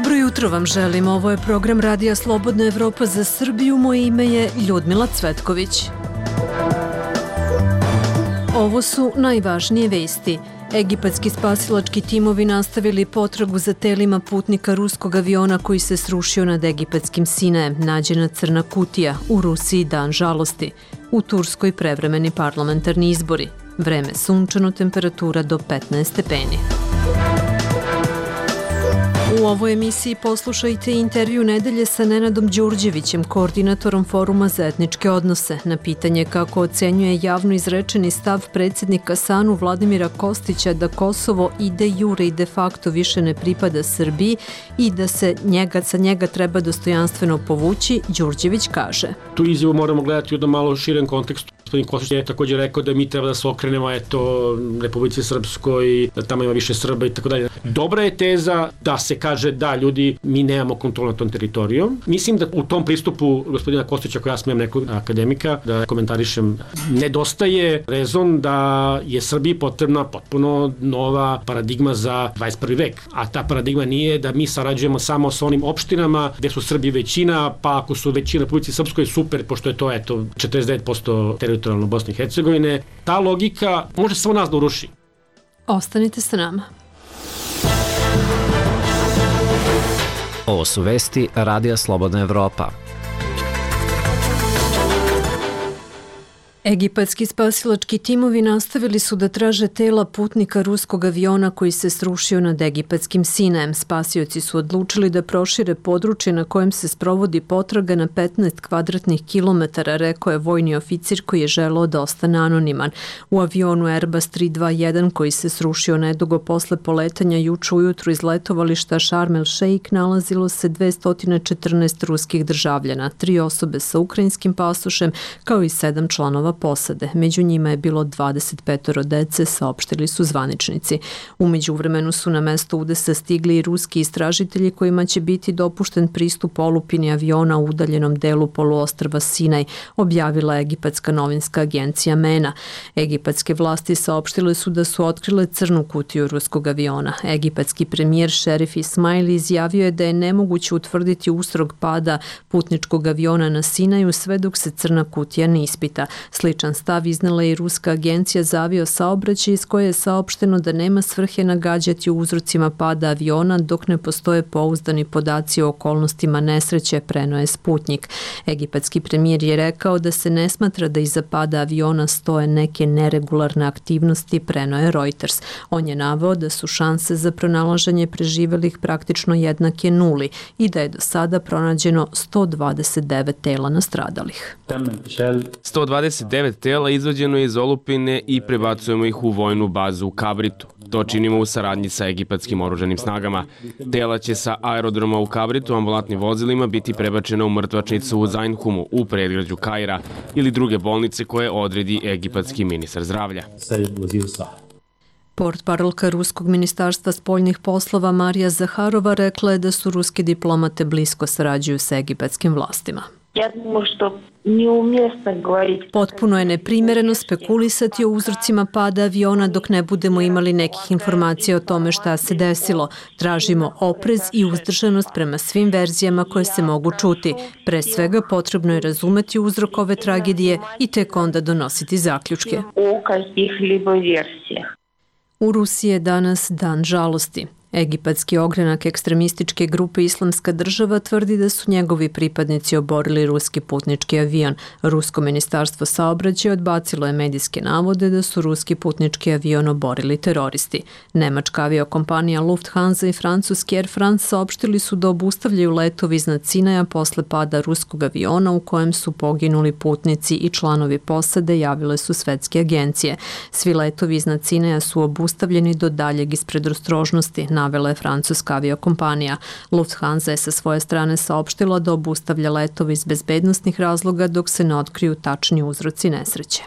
Dobro jutro vam želim. Ovo je program Radija Slobodna Evropa za Srbiju. Moje ime je Ljudmila Cvetković. Ovo su najvažnije vesti. Egipatski spasilački timovi nastavili potragu za telima putnika ruskog aviona koji se srušio nad egipatskim Sinajem. Nađena crna kutija. U Rusiji dan žalosti. U Turskoj prevremeni parlamentarni izbori. Vreme sunčano, temperatura do 15 stepeni. U ovoj emisiji poslušajte intervju nedelje sa Nenadom Đurđevićem, koordinatorom Foruma za etničke odnose. Na pitanje kako ocenjuje javno izrečeni stav predsjednika SANU Vladimira Kostića da Kosovo i de jure i de facto više ne pripada Srbiji i da se sa njega treba dostojanstveno povući, Đurđević kaže. Tu izjavu moramo gledati u jednom malo širem kontekstu. Gospodin Kostić je također rekao da mi treba da se okrenemo Republici Srpskoj, da tamo ima više Srba i tako dalje. Dobra je teza da se kaže da ljudi, mi nemamo kontrolu nad tom teritorijom. Mislim da u tom pristupu gospodina Kostića, ako ja smijem nekog akademika da komentarišem, nedostaje rezon da je Srbiji potrebna potpuno nova paradigma za 21. vek. A ta paradigma nije da mi sarađujemo samo sa onim opštinama gde su Srbi većina, pa ako su većina Republici Srpskoj super, pošto je to 49% teritorijalno Bosne i Hercegovine. Ta logika može samo nas da uruši. Ostanite sa nama. Ovo su vesti Radija Slobodna Evropa. Egipatski spasilački timovi nastavili su da traže tela putnika ruskog aviona koji se srušio nad egipatskim Sinajem. Spasioci su odlučili da prošire područje na kojem se sprovodi potraga na 15 kvadratnih kilometara, rekao je vojni oficir koji je želeo da ostane anoniman. U avionu Airbus 321 koji se srušio nedugo posle poletanja juče ujutru iz letovališta Sharm el Sheikh nalazilo se 214 ruskih državljana, 3 osobe sa ukrajinskim pasošem kao i 7 članova posade. Među njima je bilo 25 dece, saopštili su zvaničnici. U međuvremenu su na mesto udesa stigli i ruski istražitelji kojima će biti dopušten pristup olupini aviona u udaljenom delu poluostrva Sinaj, objavila egipatska novinska agencija MENA. Egipatske vlasti saopštile su da su otkrile crnu kutiju ruskog aviona. Egipatski premijer Šerif Ismail izjavio je da je nemoguće utvrditi uzrok pada putničkog aviona na Sinaju sve dok se crna kutija ne ispita. Sličan stav iznala je i ruska agencija za aviosaobraćaj iz koje je saopšteno da nema svrhe nagađati o uzrocima pada aviona dok ne postoje pouzdani podaci o okolnostima nesreće, preneo je Sputnik. Egipatski premijer je rekao da se ne smatra da iza pada aviona stoje neke neregularne aktivnosti, preneo je Reuters. On je naveo da su šanse za pronalaženje preživelih praktično jednake nuli i da je do sada pronađeno 129 tela nastradalih. 129 tela izvađeno je iz olupine i prebacujemo ih u vojnu bazu u Kabritu. To činimo u saradnji sa egipatskim oružanim snagama. Tela će sa aerodroma u Kabritu ambulantnim vozilima biti prebačena u mrtvačnicu u Zainhumu u predgrađu Kaira ili druge bolnice koje odredi egipatski ministar zdravlja. Portparolka Ruskog ministarstva spoljnih poslova Marija Zaharova rekla je da su ruske diplomate blisko sarađuju sa egipatskim vlastima. Potpuno je neprimereno spekulisati o uzrocima pada aviona dok ne budemo imali nekih informacija o tome šta se desilo. Tražimo oprez i uzdržanost prema svim verzijama koje se mogu čuti. Pre svega potrebno je razumeti uzrok ove tragedije i tek onda donositi zaključke. U Rusiji je danas dan žalosti. Egipatski ogranak ekstremističke grupe Islamska država tvrdi da su njegovi pripadnici oborili ruski putnički avion. Rusko ministarstvo saobraćaja odbacilo je medijske navode da su ruski putnički avion oborili teroristi. Nemačka aviokompanija Lufthansa i francuski Air France saopštili su da obustavljaju letovi iznad Sinaja posle pada ruskog aviona u kojem su poginuli putnici i članovi posade, javile su svetske agencije. Svi letovi iznad Sinaja su obustavljeni do daljeg iz predostrožnosti, navela je francuska aviokompanija. Lufthansa je sa svoje strane saopštila da obustavlja letove iz bezbednosnih razloga dok se ne otkriju tačni uzroci nesreće.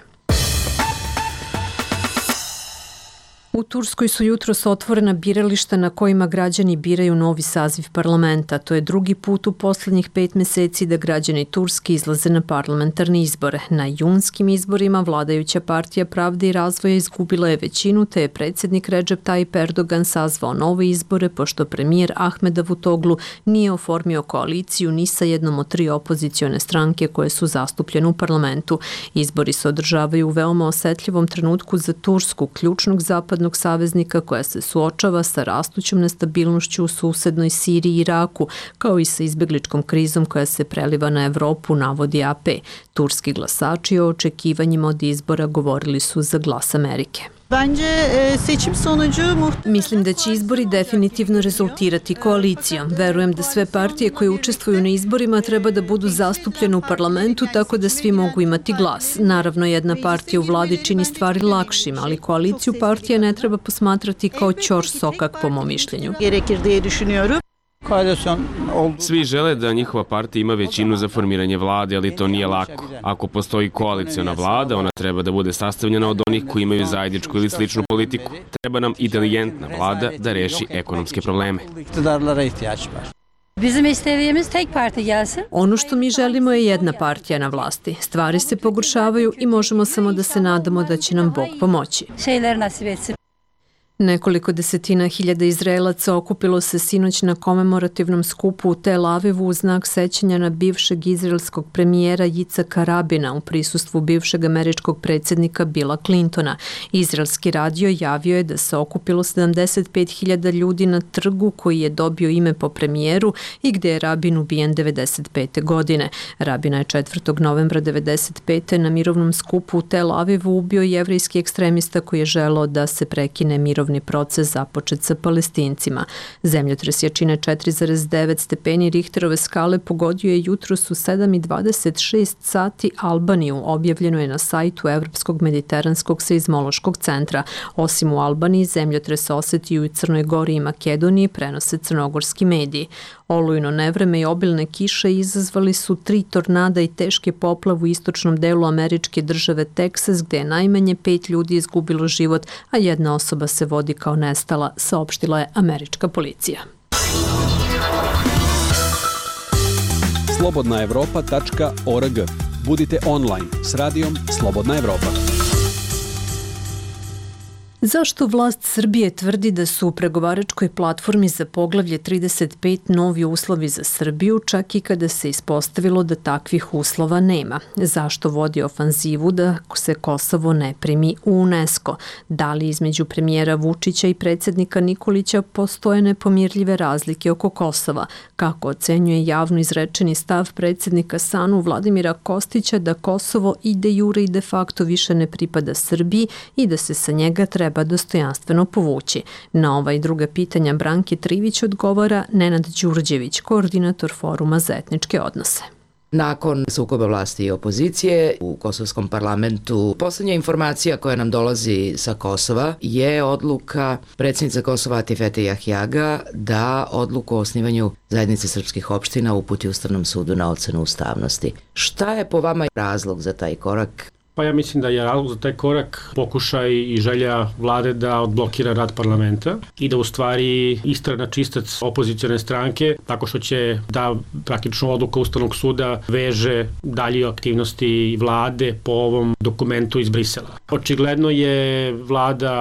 U Turskoj su jutros otvorena birališta na kojima građani biraju novi saziv parlamenta. To je drugi put u poslednjih 5 meseci da građani Turske izlaze na parlamentarne izbore. Na junskim izborima vladajuća partija Pravde i razvoja izgubila je većinu, te je predsjednik Recep Tayyip Erdogan sazvao nove izbore, pošto premijer Ahmed Davutoglu nije oformio koaliciju ni sa jednom od 3 opozicione stranke koje su zastupljene u parlamentu. Izbori se održavaju u veoma osetljivom trenutku za Tursku, ključnog zapadnog saveznika koja se suočava sa rastućom nestabilnošću u susednoj Siriji i Iraku, kao i sa izbegličkom krizom koja se preliva na Evropu, navodi AP. Turski glasači o očekivanjima od izbora govorili su za Glas Amerike. Mislim da će izbori definitivno rezultirati koalicijom. Verujem da sve partije koje učestvuju na izborima treba da budu zastupljene u parlamentu tako da svi mogu imati glas. Naravno, jedna partija u vladi čini stvari lakšim, ali koaliciju partija ne treba posmatrati kao ćor sokak po mom mišljenju. Svi žele da njihova partija ima većinu za formiranje vlade, ali to nije lako. Ako postoji koaliciona vlada, ona treba da bude sastavljena od onih koji imaju zajedničku ili sličnu politiku. Treba nam inteligentna vlada da reši ekonomske probleme. Ono što mi želimo je jedna partija na vlasti. Stvari se pogoršavaju i možemo samo da se nadamo da će nam Bog pomoći. Nekoliko desetina hiljada Izraelaca okupilo se sinoć na komemorativnom skupu u Tel Avivu u znak sećanja na bivšeg izraelskog premijera Jicaka Rabina u prisustvu bivšeg američkog predsjednika Billa Clintona. Izraelski radio javio je da se okupilo 75.000 ljudi na trgu koji je dobio ime po premijeru i gde je Rabin ubijen 1995. godine. Rabina je 4. novembra 1995. na mirovnom skupu u Tel Avivu ubio jevrejski ekstremista koji je želeo da se prekine mirovni proces započet sa Palestincima. Zemljotres jačine 4,9 stepeni Richterove skale pogodio je jutros u 7:26 sati Albaniju, objavljeno je na sajtu Evropskog mediteranskog seizmološkog centra. Osim u Albaniji, zemljotres osetio i u Crnoj Gori i Makedoniji, prenose crnogorski mediji. Olujno nevreme i obilne kiše izazvali su 3 tornada i teške poplave u istočnom delu američke države Teksas, gde je najmanje 5 ljudi izgubilo život, a jedna osoba se vodi kao nestala, saopštila je američka policija. slobodnaevropa.org. Budite online s radijom Slobodna Evropa. Zašto vlast Srbije tvrdi da su u pregovaračkoj platformi za poglavlje 35 novi uslovi za Srbiju, čak i kada se ispostavilo da takvih uslova nema? Zašto vodi ofanzivu da se Kosovo ne primi u UNESCO? Da li između premijera Vučića i predsjednika Nikolića postoje nepomirljive razlike oko Kosova? Kako ocenjuje javno izrečeni stav predsjednika SANU Vladimira Kostića da Kosovo i de jure i de facto više ne pripada Srbiji i da se sa njega treba dostojanstveno povući? Na ova i druga pitanja Branki Trivić odgovara Nenad Đurđević, koordinator Foruma za etničke odnose. Nakon sukoba vlasti i opozicije u kosovskom parlamentu, poslednja informacija koja nam dolazi sa Kosova je odluka predsjednice Kosova Atifete Jahjaga da odluku o osnivanju zajednice srpskih opština uputi Ustavnom sudu na ocenu ustavnosti. Šta je po vama razlog za taj korak? Pa ja mislim da je razlog za taj korak pokušaj i želja vlade da odblokira rad parlamenta i da u stvari istrana čistac opozicione stranke tako što će da praktično odluka Ustavnog suda veže dalje aktivnosti vlade po ovom dokumentu iz Brisela. Očigledno je vlada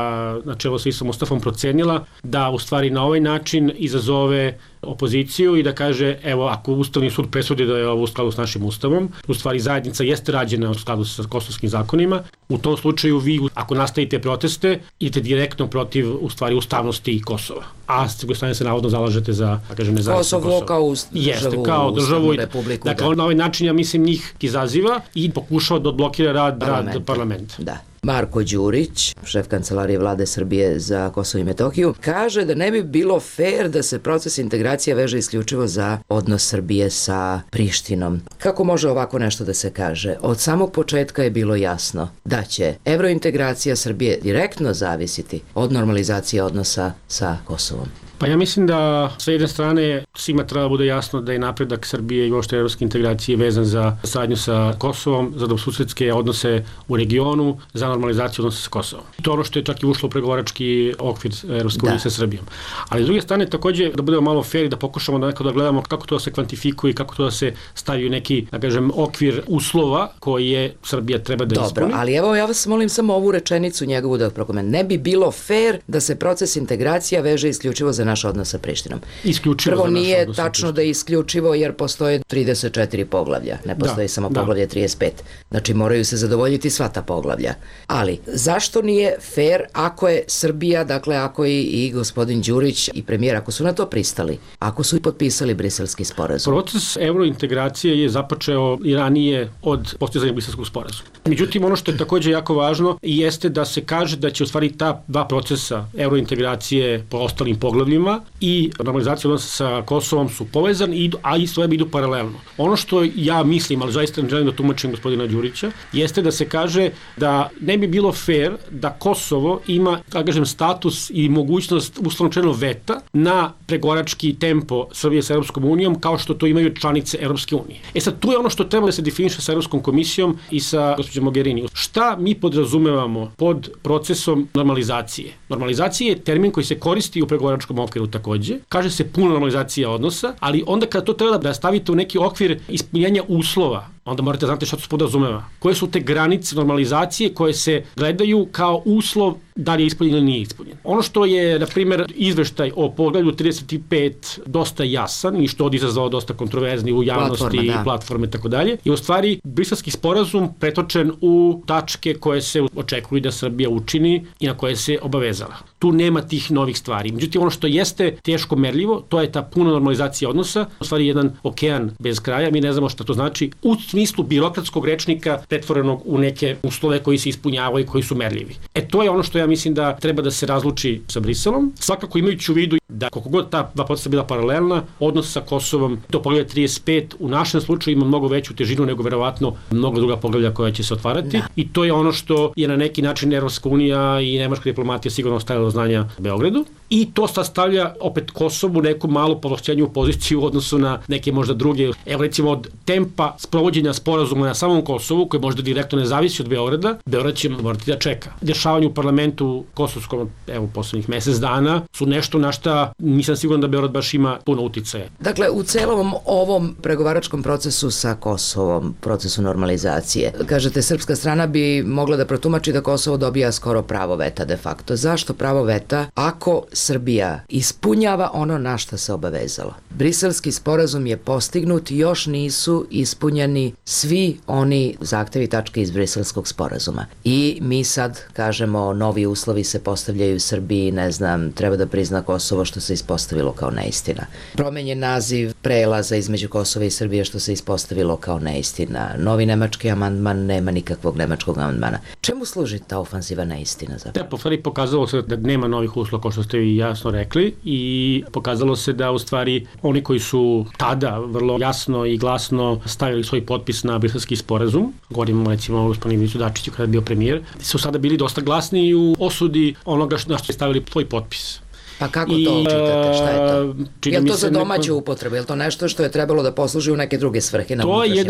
na čelu sa Isom Mustafom procenila da u stvari na ovaj način izazove opoziciju i da kaže, evo, ako Ustavni sud presudi da je ovo u skladu s našim ustavom, u stvari zajednica jeste rađena u skladu sa kosovskim zakonima, u tom slučaju vi, ako nastavite proteste, idete direktno protiv, u stvari, ustavnosti Kosova. A s druge strane se navodno zalažete za, da kažem, nezavisno Kosovo. Kosovo kao državu, republiku. Dakle, na ovaj način, ja mislim, njih izaziva i pokušava da odblokira rad parlamenta. Da. Marko Đurić, šef kancelarije vlade Srbije za Kosovo i Metohiju, kaže da ne bi bilo fair da se proces integracija veže isključivo za odnos Srbije sa Prištinom. Kako može ovako nešto da se kaže? Od samog početka je bilo jasno da će evrointegracija Srbije direktno zavisiti od normalizacije odnosa sa Kosovom. Pa ja mislim da sa jedne strane svima treba bude jasno da je napredak Srbije i uopšte evropske integracije vezan za saradnju sa Kosovom, za dobrosusedske odnose u regionu, za normalizaciju odnosa sa Kosovom. To je ono što je čak i ušlo u pregovarački okvir Evropske unije sa Srbijom. Ali s druge strane takođe da budemo malo fair i da pokušamo da nekako da gledamo kako to se kvantifikuje i kako to da se stavi u neki, da kažem, okvir uslova koje Srbija treba da ispuni. Dobro, ali evo ja vas molim samo ovu rečenicu njegovu da prokomentujem. Ne bi bilo fair da se proces integracija veže isključivo za naš odnos sa Prištinom. Isključivo prvo za naš nije odnos sa tačno da je isključivo jer postoje 34 poglavlja, ne postoji samo poglavlje 35. Znači moraju se zadovoljiti sva ta poglavlja. Ali zašto nije fair ako je Srbija, dakle ako i gospodin Đurić i premijer, ako su na to pristali, ako su i potpisali briselski sporazum? Proces eurointegracije je započeo i ranije od postizanja briselskog sporazuma. Međutim, ono što je takođe jako važno jeste da se kaže da će u stvari ta dva procesa eurointegracije po ostalim poglavljima i normalizacija odnosa sa Kosovom su povezani, a isto idu paralelno. Ono što ja mislim, ali zaista ne želim da tumačim gospodina Đurića, jeste da se kaže da ne bi bilo fair da Kosovo ima, da kažem, status i mogućnost uslovno veta na pregovarački tempo Srbije sa Evropskom unijom kao što to imaju članice Evropske unije. Sad, tu je ono što treba da se definiše sa Evropskom komisijom i sa gospođom Mogherini. Šta mi podrazumevamo pod procesom normalizacije? Normalizacija je termin koji se koristi u pregovaračkom okviru takođe. Kaže se puna normalizacija odnosa, ali onda kada to treba da stavite u neki okvir ispunjenja uslova, onda morate znati šta to se podrazumeva. Koje su te granice normalizacije koje se gledaju kao uslov da li je ispunjen ili nije ispunjen. Ono što je, na primjer, izveštaj o poglavlju 35 dosta jasan i što je izazvao dosta kontroverzni u javnosti i platforme i tako dalje, je u stvari briselski sporazum pretočen u tačke koje se očekuju da Srbija učini i na koje se obavezala. Tu nema tih novih stvari. Međutim, ono što jeste teško merljivo, to je ta puna normalizacija odnosa, u stvari jedan okean bez kraja, mi ne znamo šta to znači, u smislu birokratskog rečnika pretvorenog u neke uslove koji se ispunjavaju i koji su merljivi. To je ono što ja mislim da treba da se razluči sa Briselom, svakako imajući u vidu da koliko god ta dva procesa bila paralelna, odnos sa Kosovom do poglavlja 35 u našem slučaju ima mnogo veću težinu nego verovatno mnogo druga poglavlja koja će se otvarati i to je ono što je na neki način Evropska unija i nemačka diplomatija sigurno ostavila do znanja Beogradu i to sastavlja opet Kosovu neku malu povlašćenju poziciju u odnosu na neke možda druge, evo recimo od tempa sprovođenja sporazuma na samom Kosovu koji možda direktno ne zavisi od Beograda, Beograd će morati da čeka. Dešavanje u parlamentu kosovskom, evo poslednjih mesec dana, su nešto na šta nisam siguran da Beograd baš ima puno uticaja. Dakle, u celom ovom pregovaračkom procesu sa Kosovom, procesu normalizacije, kažete, srpska strana bi mogla da protumači da Kosovo dobija skoro pravo veta de facto. Zašto pravo veta ako Srbija ispunjava ono na šta se obavezala? Briselski sporazum je postignut, još nisu ispunjeni svi oni zahtevi tačke iz Briselskog sporazuma. I mi sad kažemo, novi uslovi se postavljaju Srbiji, ne znam, treba da prizna Kosovo što se ispostavilo kao neistina. Promenjen naziv prelaza između Kosova i Srbije što se ispostavilo kao neistina. Novi nemački amandman, nema nikakvog nemačkog amandmana. Čemu služi ta ofanziva neistina zapravo? U stvari pokazalo se da nema novih uslova, kao što ste i jasno rekli, i pokazalo se da u stvari oni koji su tada vrlo jasno i glasno stavili svoj potpis na briselski sporazum, govorimo recimo o gospodinu Ivicu Dačiću kada je bio premijer, su sada bili dosta glasni u osudi onoga na što je stavili svoj potpis. Pa kako to čitate? Šta je to? Je li to za domaću upotrebu? Je li to nešto što je trebalo da posluži u neke druge svrhe? To je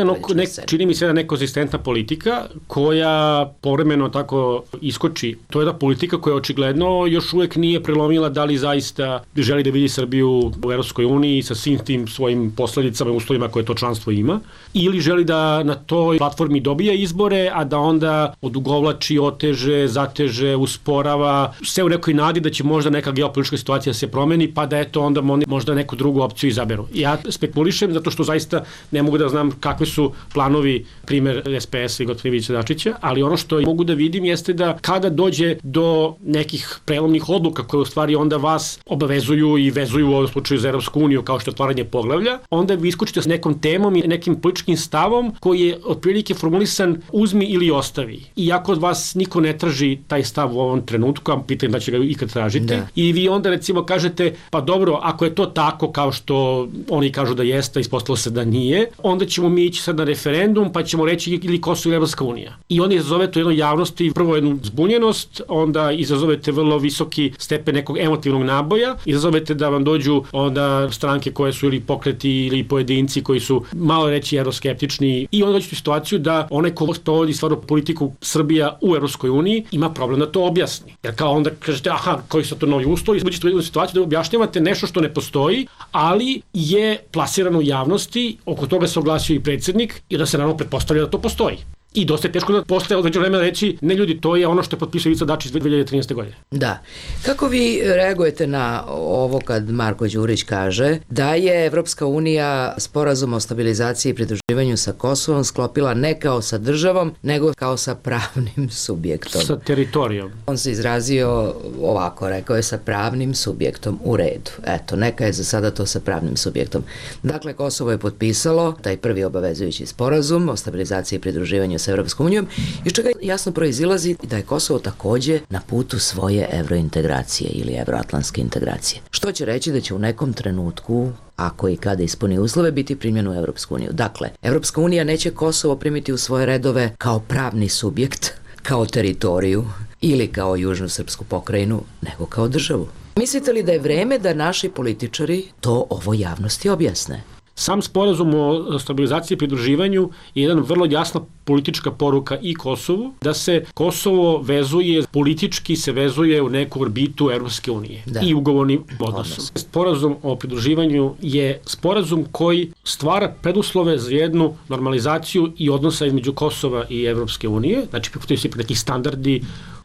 čini mi se jedna nekonzistentna politika koja povremeno tako iskoči. To je jedna politika koja očigledno još uvek nije prelomila da li zaista želi da vidi Srbiju u Evropskoj uniji sa svim tim svojim posledicama i uslovima koje to članstvo ima, ili želi da na toj platformi dobija izbore, a da onda odugovlači, oteže, zateže, usporava, sve u nekoj nadi da će možda neka geopolitička situacija se promeni, pa da eto onda možda neku drugu opciju izaberu. Ja spekulišem zato što zaista ne mogu da znam kakvi su planovi, primer SPS i gospodina Ivice Dačića, ali ono što mogu da vidim jeste da kada dođe do nekih prelomnih odluka koje u stvari onda vas obavezuju i vezuju u ovom slučaju za Evropsku uniju kao što je otvaranje poglavlja, onda vi iskočite s nekom temom i nekim političkim stavom koji je otprilike formulisan uzmi ili ostavi. I ako od vas niko ne traži taj stav u ovom trenutku, a pitam da će ga ikad tražiti, i vi onda onda recimo kažete, pa dobro, ako je to tako kao što oni kažu da jeste, ispostavilo se da nije, onda ćemo mi ići sad na referendum, pa ćemo reći ili Kosovo i Evropska unija. I onda izazove to jedno javnosti, prvo jednu zbunjenost, onda izazovete vrlo visoki stepen nekog emotivnog naboja, izazovete da vam dođu onda stranke koje su ili pokreti ili pojedinci koji su malo reći euroskeptični i onda dođete u situaciju da onaj ko sprovodi stvarno politiku Srbija u Evropskoj uniji ima problem da to objasni. Jer kao onda kažete, aha, koji su to novi uslovi, izbuđete u jednu situaciju da objašnjavate nešto što ne postoji, ali je plasirano u javnosti, oko toga se oglasio i predsjednik i da se naravno pretpostavlja da to postoji. I dosta je teško da posle određeno vremena reći, ne ljudi, to je ono što je potpisao Ivica Dačić 2013. godine. Da. Kako vi reagujete na ovo kad Marko Đurić kaže da je Evropska unija sporazum o stabilizaciji i pridruživanju sa Kosovom sklopila ne kao sa državom, nego kao sa pravnim subjektom? Sa teritorijom. On se izrazio ovako, rekao je sa pravnim subjektom, u redu. Eto, neka je za sada to sa pravnim subjektom. Dakle, Kosovo je potpisalo taj prvi obavezujući sporazum o stabilizaciji i pridruživanju sa Evropskom unijom, iz čega jasno proizilazi da je Kosovo takođe na putu svoje evrointegracije ili evroatlantske integracije. Što će reći da će u nekom trenutku, ako i kada ispuni uslove, biti primljeno u Evropsku uniju. Dakle, Evropska unija neće Kosovo primiti u svoje redove kao pravni subjekt, kao teritoriju ili kao južnu srpsku pokrajinu, nego kao državu. Mislite li da je vreme da naši političari to ovo javnosti objasne? Sam sporazum o stabilizaciji i pridruživanju je jedan vrlo jasna politička poruka i Kosovu, da se Kosovo vezuje, politički se vezuje u neku orbitu Evropske unije i ugovornim odnosom. Sporazum o pridruživanju je sporazum koji stvara preduslove za jednu normalizaciju i odnosa između Kosova i Evropske unije, znači prihvataju se neki standardi.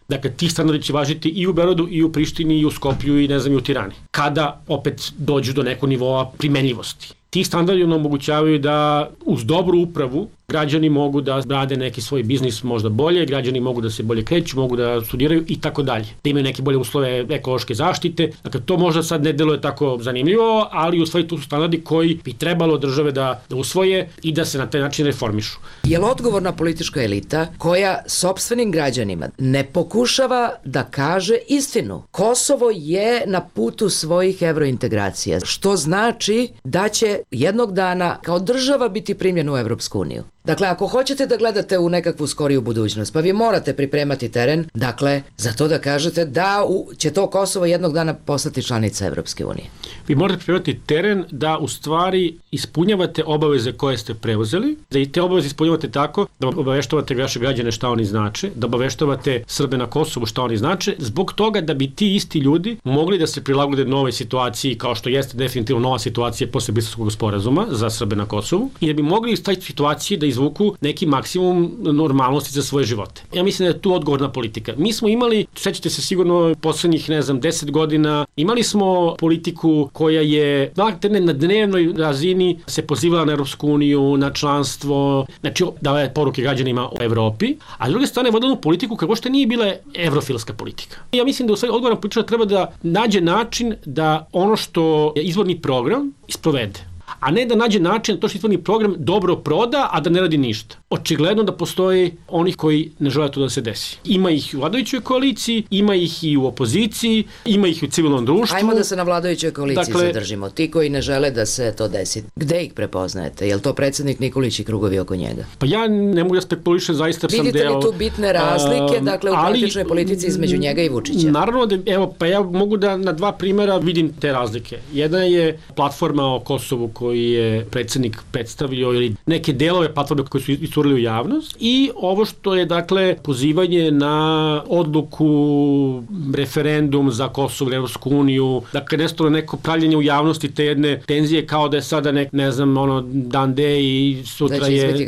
Dakle, ti standardi će važiti i u Beogradu, i u Prištini, i u Skoplju, i ne znam, i u Tirani. Kada opet dođu do nekog nivoa primenljivosti. Ti standardi nam omogućavaju da uz dobru upravu građani mogu da rade neki svoj biznis možda bolje, građani mogu da se bolje kreću, mogu da studiraju i tako dalje. Da imaju neke bolje uslove ekološke zaštite. Dakle, to možda sad ne deluje tako zanimljivo, ali u stvari tu su standardi koji bi trebalo države da usvoje i da se na taj način reformišu. Je li odgovorna politička elita koja sopstvenim građanima ne pokušava da kaže istinu? Kosovo je na putu svojih evrointegracija, što znači da će jednog dana kao država biti primljen u Evropsku uniju. Dakle, ako hoćete da gledate u nekakvu skoriju budućnost, pa vi morate pripremati teren, dakle, za to da kažete da će to Kosovo jednog dana postati članica Evropske unije. Vi morate pripremati teren da u stvari ispunjavate obaveze koje ste preuzeli, da i te obaveze ispunjavate tako da obaveštavate vaše građane šta oni znače, da obaveštavate Srbe na Kosovu šta oni znače, zbog toga da bi ti isti ljudi mogli da se prilagode novoj situaciji, kao što jeste definitivno nova situacija posle Briselskog sporazuma za Srbe na Kosovu, i da bi mogli iz taj situacije da izvuku neki maksimum normalnosti za svoje živote. Ja mislim da je tu odgovorna politika. Mi smo imali, sećate se sigurno poslednjih, 10 godina, imali smo politiku koja je na dnevnoj razini se pozivala na Evropsku uniju, na članstvo, znači davala poruke građanima o Evropi, a s druge strane vodila politiku kako što nije bila evrofilska politika. Ja mislim da u stvari odgovorna politika treba da nađe način da ono što je izvorni program isprovede, a ne da nađe način da to što izvorni program dobro proda, a da ne radi ništa. Očigledno da postoji onih koji ne žele to da se desi. Ima ih u vladajućoj koaliciji, ima ih i u opoziciji, ima ih u civilnom društvu. Ajmo da se na vladajućoj koaliciji zadržimo. Ti koji ne žele da se to desi. Gde ih prepoznajete? Je li to predsjednik Nikolić i krugovi oko njega? Pa ja ne mogu da spekulišem, zaista sam deo... Vidite li tu bitne razlike, dakle, u praktičnoj politici između njega i Vučića? Naravno da, pa ja mogu da na dva primjera vidim te razlike. Jedna je platforma o Kosovu koji je predsjednik predstavio ili neke delove platforme koje su iscurili u javnost i ovo što je dakle pozivanje na odluku referendum za Kosovo ili Evropsku uniju, dakle nestalo neko pravljenje u javnosti te jedne tenzije kao da je sada ne znam dan D i sutra je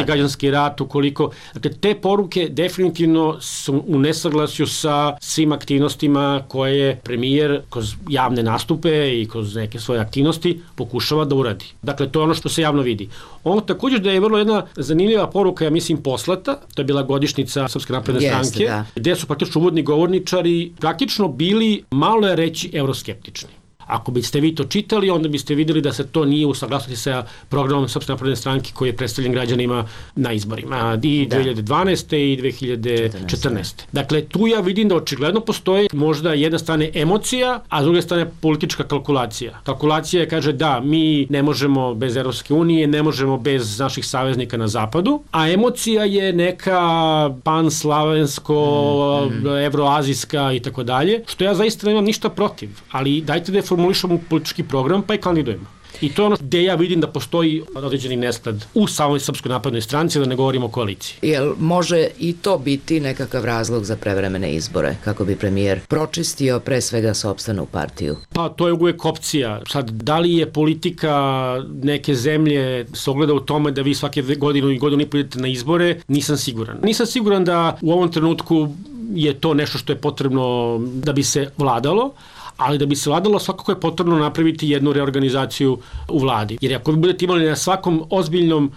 građanski rat ukoliko, dakle te poruke definitivno su u nesaglasju sa svim aktivnostima koje je premijer kroz javne nastupe i kroz neke svoje aktivnosti pokušava da uradi. Dakle, to je ono što se javno vidi. Ono također da je vrlo jedna zanimljiva poruka, ja mislim, poslata, to je bila godišnjica Srpske napredne stranke, gde su praktično uvodni govorničari praktično bili, malo je reći, euroskeptični. Ako biste vi to čitali, onda biste videli da se to nije u saglasnosti sa programom Srpske napredne stranke koji je predstavljen građanima na izborima i 2012. i 2014. Dakle, tu ja vidim da očigledno postoji možda jedna strane emocija, a s druge strane politička kalkulacija. Kalkulacija kaže da, mi ne možemo bez Evropske unije, ne možemo bez naših saveznika na zapadu, a emocija je neka panslavensko, evroazijska i tako dalje, što ja zaista nemam ništa protiv, ali dajte da je formulišemo politički program pa i kandidujemo. I to je ono gde ja vidim da postoji određeni nesklad u samoj Srpskoj naprednoj stranci, da ne govorimo o koaliciji. Jel može i to biti nekakav razlog za prevremene izbore, kako bi premijer pročistio pre svega sopstvenu partiju? Pa to je uvijek opcija. Sad, da li je politika neke zemlje se ogleda u tome da vi svake godinu i godinu i pol idete na izbore, nisam siguran. Nisam siguran da u ovom trenutku je to nešto što je potrebno da bi se vladalo, ali da bi se vladalo svakako je potrebno napraviti jednu reorganizaciju u vladi. Jer ako vi budete imali na svakom ozbiljnom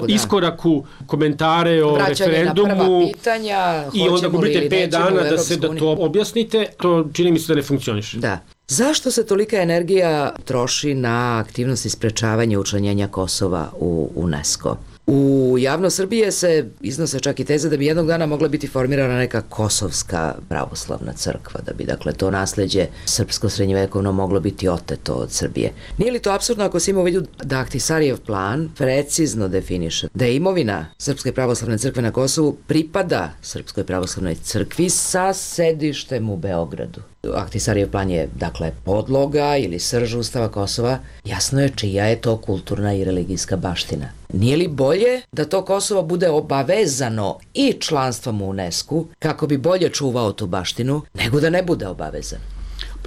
iskoraku komentare o referendumu na prva pitanja, i onda gubite 5 dana da to objasnite, to čini mi se da ne funkcioniše. Da. Zašto se tolika energija troši na aktivnosti sprečavanja učlanjenja Kosova u UNESCO? U javnost Srbije se iznose čak i teze da bi jednog dana mogla biti formirana neka kosovska pravoslavna crkva, da bi dakle to nasleđe srpsko-srednjevekovno moglo biti oteto od Srbije. Nije li to apsurdno ako se ima u vidu da Ahtisarijev plan precizno definiše da je imovina Srpske pravoslavne crkve na Kosovu pripada Srpskoj pravoslavnoj crkvi sa sedištem u Beogradu? Ahtisarijev plan je, dakle, podloga ili srž Ustava Kosova. Jasno je čija je to kulturna i religijska baština. Nije li bolje da to Kosovo bude obavezano i članstvom u UNESCO kako bi bolje čuvao tu baštinu, nego da ne bude obavezan?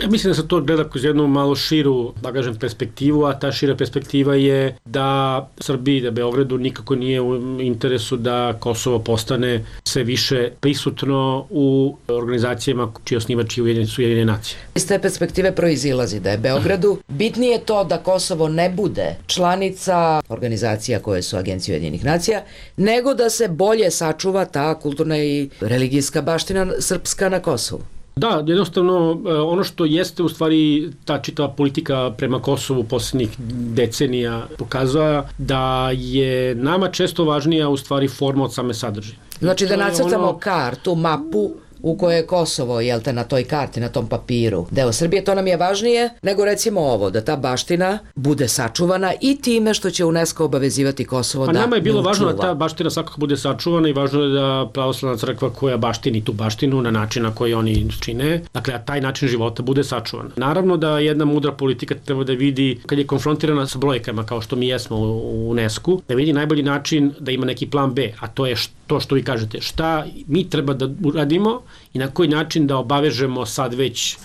Ja mislim da se to gleda kroz jednu malo širu, da kažem, perspektivu, a ta šira perspektiva je da Srbiji, da Beogradu nikako nije u interesu da Kosovo postane sve više prisutno u organizacijama čiji osnivači su Ujedinjene nacije. Iz te perspektive proizilazi da je Beogradu bitnije to da Kosovo ne bude članica organizacija koje su Agencije Ujedinjenih nacija, nego da se bolje sačuva ta kulturna i religijska baština srpska na Kosovu. Da, jednostavno ono što jeste u stvari ta čitava politika prema Kosovu posljednjih decenija pokazuje da je nama često važnija u stvari forma od same sadržine. Znači da nacrtamo kartu, mapu u kojoj je Kosovo, jel te, na toj karti, na tom papiru, deo Srbije, to nam je važnije nego recimo ovo, da ta baština bude sačuvana i time što će UNESCO obavezivati Kosovo da ne učuva. Pa nama je bilo važno da ta baština svakako bude sačuvana i važno je da pravoslavna crkva koja baštini tu baštinu na način na koji oni čine, dakle, a taj način života bude sačuvan. Naravno da jedna mudra politika treba da vidi, kad je konfrontirana sa brojkama kao što mi jesmo u UNESCO, da vidi najbolji način da ima neki plan B, a to je to što vi kažete, šta mi treba da uradimo i na koji način da obavežemo sad već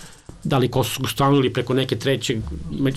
da li kosovsku stranu ili preko neke treće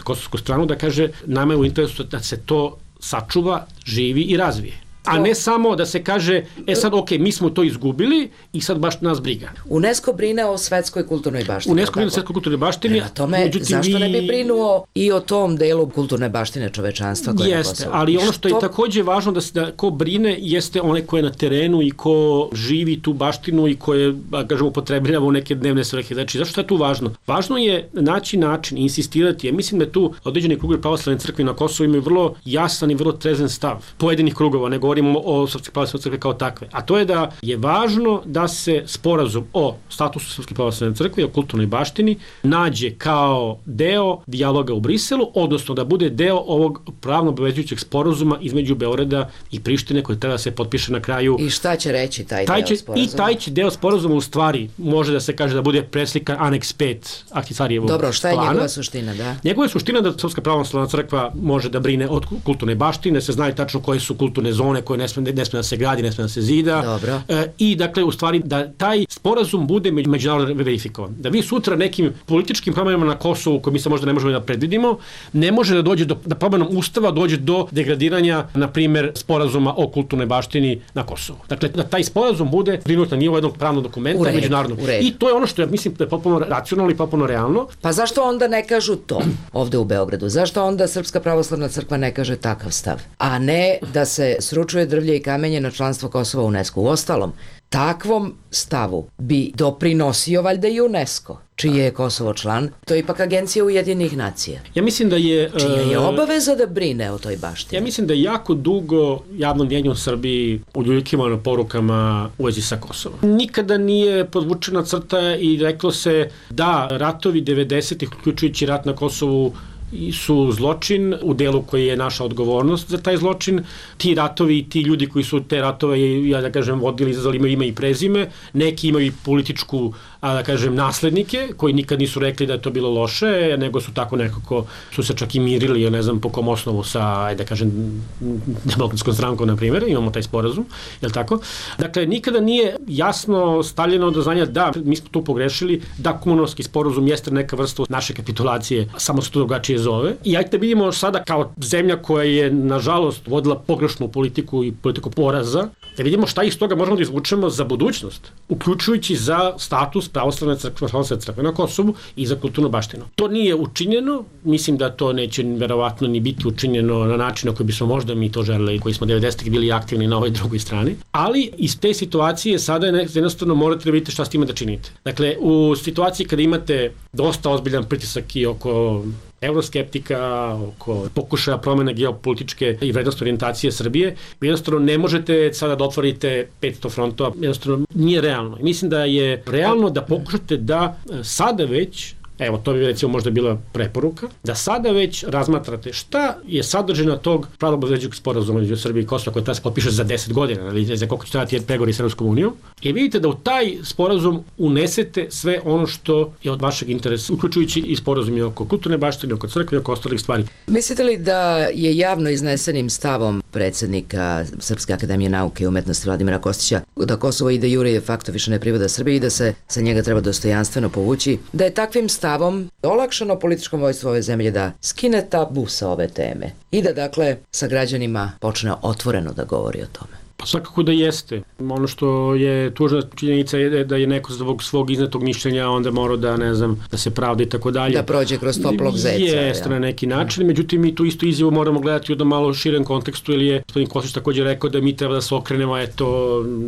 kosovsku stranu, da kaže nama je u interesu da se to sačuva, živi i razvije. A ne samo da se kaže, sad ok, mi smo to izgubili i sad baš nas briga. UNESCO brine o svetskoj kulturnoj baštini. UNESCO brine o svetskoj kulturnoj baštini. Na tome, zašto ne bi brinuo i o tom delu kulturne baštine čovečanstva koje je na Kosovu? Jeste, ali ono što je takođe važno da ko brine jeste onaj ko je na terenu i ko živi tu baštinu i ko je, kažemo, upotrebljava u neke dnevne svrhe. Znači, zašto je tu važno? Važno je naći način, insistirati. Ja mislim da tu određeni krugovi pravoslavne crkve na Kosovu imaju vrlo jasan i vrlo trezan stav pojedinih krugova, ne govorimo o Srpske pravoslavne crkve kao takve. A to je da je važno da se sporazum o statusu Srpske pravoslavne crkve i o kulturnoj baštini nađe kao deo dijaloga u Briselu, odnosno da bude deo ovog pravno obavezujućeg sporazuma između Beograda i Prištine koji treba da se potpiše na kraju. I šta će reći taj deo sporazuma? I taj će deo sporazuma u stvari može da se kaže da bude preslika aneks 5 Ahtisarijevog plana. Dobro, šta je njegova suština, da? Njegova suština da Srpska pravoslavna crkva može da brine od kulturne baštine, se znaju tačno koje su kulturne zone koje ne sme da se gradi, ne sme da se zida. Dobro. I dakle, u stvari, da taj sporazum bude međunarodno verifikovan. Da vi sutra nekim političkim promenama na Kosovu, koje mi se možda ne možemo da predvidimo, ne može da dođe da promenom ustava dođe do degradiranja, na primer, sporazuma o kulturnoj baštini na Kosovu. Dakle, da taj sporazum bude prinut na nivo jednog pravnog dokumenta međunarodnog. I to je ono što ja mislim da je potpuno racionalno i potpuno realno. Pa zašto onda ne kažu to ovde u Beogradu? Zašto onda Srpska pravoslavna crkva ne kaže takav stav? A ne da se sručuje drvlje i kamenje na članstvo Kosova u UNESCO. U ostalom, takvom stavu bi doprinosio valjda i UNESCO. čiji je Kosovo član, to je ipak agencija Ujedinjenih nacija. Ja mislim da je... Čija je obaveza da brine o toj baštini? Ja mislim da je jako dugo javno mnjenje u Srbiji uljuljkivano porukama u vezi sa Kosovom. Nikada nije podvučena crta i reklo se da ratovi 90-ih, uključujući rat na Kosovu, su zločin u delu koji je naša odgovornost za taj zločin. Ti ratovi i ti ljudi koji su te ratove, ja da kažem, vodili, izazvali imaju ime i prezime, neki imaju političku, da kažem, naslednike koji nikad nisu rekli da je to bilo loše, nego su tako nekako, su se čak i mirili, ja ne znam po kom osnovu sa, da kažem, Demokratskom strankom, na primjer, imamo taj sporazum, je li tako? Dakle, nikada nije jasno stavljeno do znanja da mi smo tu pogrešili, da Kumanovski sporazum jeste neka vrsta naše kapitulacije, samo se to drugačije zove. I ajte vidimo sada kao zemlja koja je, nažalost, vodila pogrešnu politiku i politiku poraza, da vidimo šta iz toga možemo da izvučemo za budućnost, uključujući za status pravoslavne crkve na Kosovu i za kulturnu baštinu. To nije učinjeno, mislim da to neće verovatno ni biti učinjeno na način na koji bismo možda mi to želeli, koji smo 90-ih bili aktivni na ovoj drugoj strani, ali iz te situacije sada jednostavno morate da vidite šta s time da činite. Dakle, u situaciji kada imate dosta ozbiljan pritisak i oko euroskeptika, oko pokušaja promene geopolitičke i vrednostne orijentacije Srbije, vi jednostavno ne možete sada da otvorite 500 frontova, jednostavno nije realno. Mislim da je realno da pokušate da sada već, evo, to bi recimo možda bila preporuka, da sada već razmatrate šta je sadržina tog pravno-obavezujućeg sporazuma između Srbije i Kosova koji treba se potpiše za 10 godina, ili za koliko će trajati pregovori sa Evropskom unijom, i vidite da u taj sporazum unesete sve ono što je od vašeg interesa, uključujući i sporazum i oko kulturne baštine, oko crkve i oko ostalih stvari. Mislite li da je javno iznesenim stavom predsednika Srpske akademije nauke i umetnosti Vladimira Kostića da Kosovo ide jure de facto više ne pripada Srbiji i da se sa njega treba dostojanstveno povući, da je takvim stavom olakšano političkom vojstvu ove zemlje da skine tabu sa ove teme i da, dakle, sa građanima počne otvoreno da govori o tome? Pa svakako da jeste. Ono što je tužna činjenica je da je neko zbog svog iznetog mišljenja onda morao da, ne znam, da se pravda i tako dalje. Da prođe kroz toplog zeca. Jeste na neki način, međutim mi tu istu izjavu moramo gledati u jednom malo širem kontekstu, ili je gospodin Kostić također rekao da mi treba da se okrenemo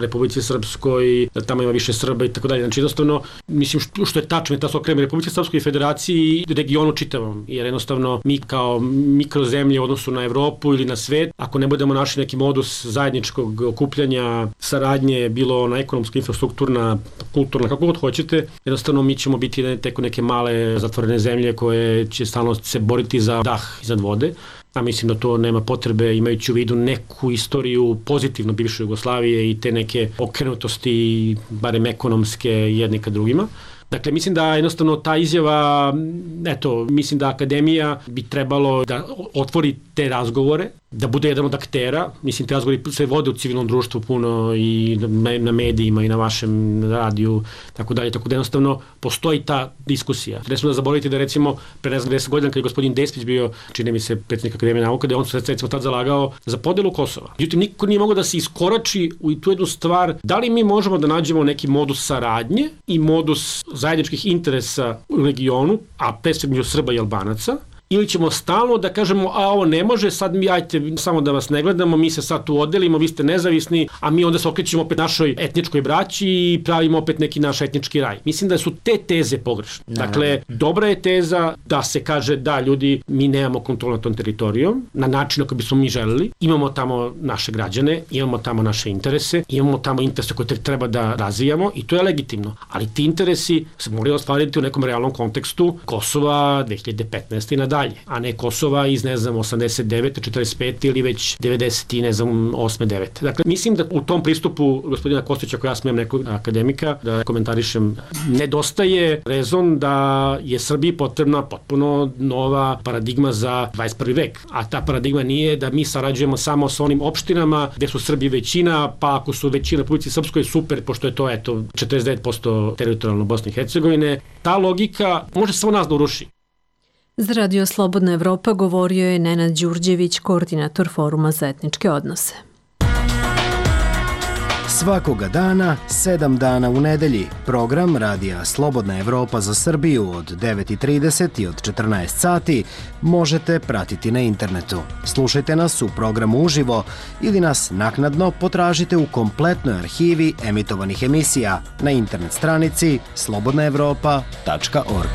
Republici Srpskoj, da tamo ima više Srba i tako dalje. Znači jednostavno, mislim što je tačno, da se okrenemo Republici Srpskoj i Federaciji i regionu čitavom, jer jednostavno mi kao mikrozemlje u odnosu na Evropu ili na svet, ako ne budemo našli neki modus zajedničkog okupljanja, saradnje, bilo na ekonomska, infrastrukturna, kulturna, kako god hoćete, jednostavno mi ćemo biti teko neke male zatvorene zemlje koje će stalno se boriti za dah iznad vode. A mislim da to nema potrebe, imajući u vidu neku istoriju pozitivno bivše Jugoslavije i te neke okrenutosti, barem ekonomske, jedni ka drugima. Dakle, mislim da jednostavno ta izjava, mislim da akademija bi trebalo da otvori te razgovore, da bude jedan od aktera. Mislim, te razgovori se vode u civilnom društvu puno i na medijima i na vašem radiju, tako dalje, tako da jednostavno postoji ta diskusija. Ne smo da zaboraviti da recimo pre 10 godina kad je gospodin Despić bio, čini mi se, predsjednik Akademije nauka, da je on se recimo tad zalagao za podelu Kosova. Međutim, niko nije mogao da se iskorači u tu jednu stvar, da li mi možemo da nađemo neki modus saradnje i modus zajedničkih interesa u regionu, a pre svega među Srba i Albanaca, ili ćemo stalno da kažemo, a ovo ne može, sad mi, ajte, samo da vas ne gledamo, mi se sad tu odelimo, vi ste nezavisni, a mi onda se okrećemo opet našoj etničkoj braći i pravimo opet neki naš etnički raj. Mislim da su te teze pogrešne. Dakle, dobra je teza da se kaže da ljudi, mi nemamo kontrolu nad tom teritorijom, na način na koji bismo mi želeli, imamo tamo naše građane, imamo tamo naše interese, imamo tamo interese koje treba da razvijamo i to je legitimno. Ali ti interesi se moraju ostvariti u nekom realnom kontekstu Kosova 2015. i nadalje, a ne Kosova iz, 89. 45. ili već 90. 8. 9. Dakle, mislim da u tom pristupu gospodina Kostića, ako ja smijem nekog akademika da komentarišem, nedostaje rezon da je Srbiji potrebna potpuno nova paradigma za 21. vek. A ta paradigma nije da mi sarađujemo samo sa onim opštinama gde su Srbi većina, pa ako su većina Republici Srpskoj, super, pošto je to 49% teritorijalno Bosne i Hercegovine. Ta logika može samo nas da uruši. Za Radio Slobodna Evropa govorio je Nenad Đurđević, koordinator Foruma za etničke odnose. Svakoga dana, 7 dana u nedelji, program Radija Slobodna Evropa za Srbiju od 9:30 i od 14 sati možete pratiti na internetu. Slušajte nas u programu uživo ili nas naknadno potražite u kompletnoj arhivi emitovanih emisija na internet stranici slobodnaevropa.org.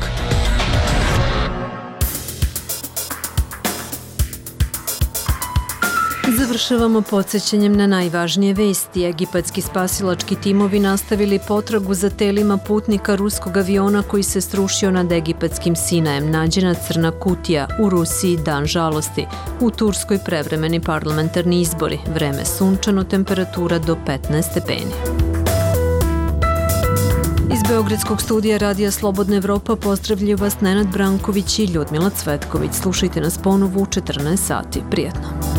Završavamo podsjećanjem na najvažnije vesti. Egipatski spasilački timovi nastavili potragu za telima putnika ruskog aviona koji se srušio nad egipatskim Sinajem. Nađena crna kutija. U Rusiji dan žalosti. U Turskoj prevremeni parlamentarni izbori. Vreme sunčano, temperatura do 15 stepeni. Iz Beogradskog studija Radija Slobodna Evropa pozdravljaju vas Nenad Branković i Ljudmila Cvetković. Slušajte nas ponovo u 14 sati. Prijetno.